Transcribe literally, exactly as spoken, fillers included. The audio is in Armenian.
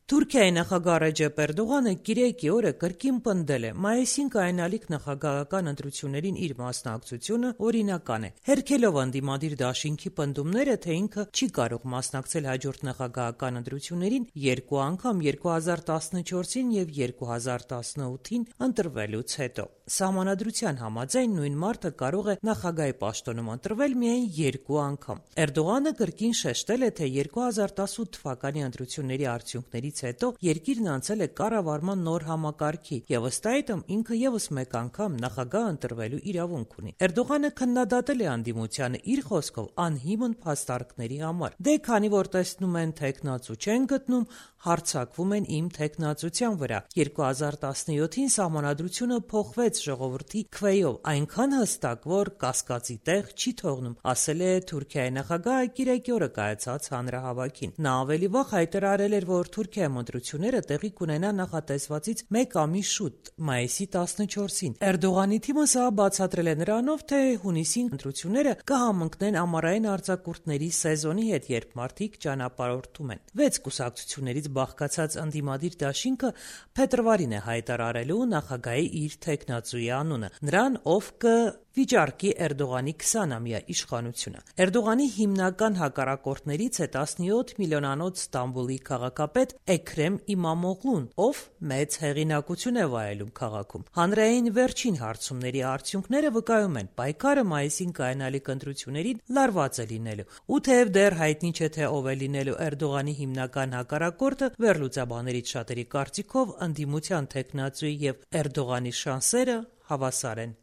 Թուրքիայի նախագահ Ռեջեփ Էրդողանը կիրակի օրը կրկին պնդել է՝ մայիսին կայանալիք նախագահական ընտրություններին իր մասնակցությունը օրինական է, հերքելով ընդդիմադիր դաշինքի պնդումները, թե ինքը չի կարող մասնակցել հաջորդ նախագահական ընտրություններին երկու անգամ երկու հազար տասնչորսին և երկու հազար տասնութին ընտրվելուց հետո։ Սահմանադրության համաձայն նույն մարդը կարող է նախագահի պաշտոնում ընտրվել միայն երկու անգամ։ Էրդողանը կրկին շեշտել է, թե երկու հազար տասութ թվականի ընտրությունների արդյունքներից հետո երկիրն անցել է կառավարման նոր համակարգի և ըստ այդմ ինքը ևս մեկ անգամ նախագահ ընտրվելու իրավունք ունի։ Էրդողանը քննադատել է ընդդիմությանը իր խոսքով անհիմն փաստարկների համար։ Դե քանի որ տեսնում են թեկնածու չեն գտնում, հարձակվում են իմ թեկնածության վրա։ երկու հազար տասնյոթին սահմանադրությունը փոխվեց ժողովրդի քվեով այնքան հստակ, որ կասկածի տեղ չի թողնում, ասել է Թուրքիայի նախագահը կիրակի օրը կայացած հանրահավաքին։ Նա ավելի վաղ հայտարարել էր, որ Թուրքիայում ընտրությունները տեղի կունենան նախատեսվածից մեկ ամիս շուտ՝ մայիսի տասնչորսին։ Էրդողանի թիմը սա բացատրել է նրանով, թե հունիսին ընտրությունները կհամընկնեն ամառային արձակուրդների սեզոնի հետ, երբ մարդիկ ճանապարհորդում են։ Վեց կուսակցություններից բաղկացած ընդդիմադիր դաշինքը փետրվարին է հայտարարելու նախագահի իր թեկնածուի անունը՝ նրան, ով կվիճարկի Էրդողանի քսանամյա իշխանությունը։ Էրդողանի հիմնական հակառակորդներից է տասնյոթ միլիոնանոց Ստամբուլի քաղաքապետ Էքրեմ Իմամօղլուն, ով մեծ հեղինակություն է վայելում քաղաքում։ Հանրային վերջին հարցումների արդյունքները վկայում են՝ պայքարը մայիսին կայանալիք ընտրություններին լարված է լինելու։ Ու թեև դեռ հայտնի չէ, թե ով է լինելու Էրդողանի հիմնական հակառակորդը, վերլուծաբաններից շատերի կարծիքով ընդդիմության թեկնածուի և Էրդողանի շանսերը հավասար են։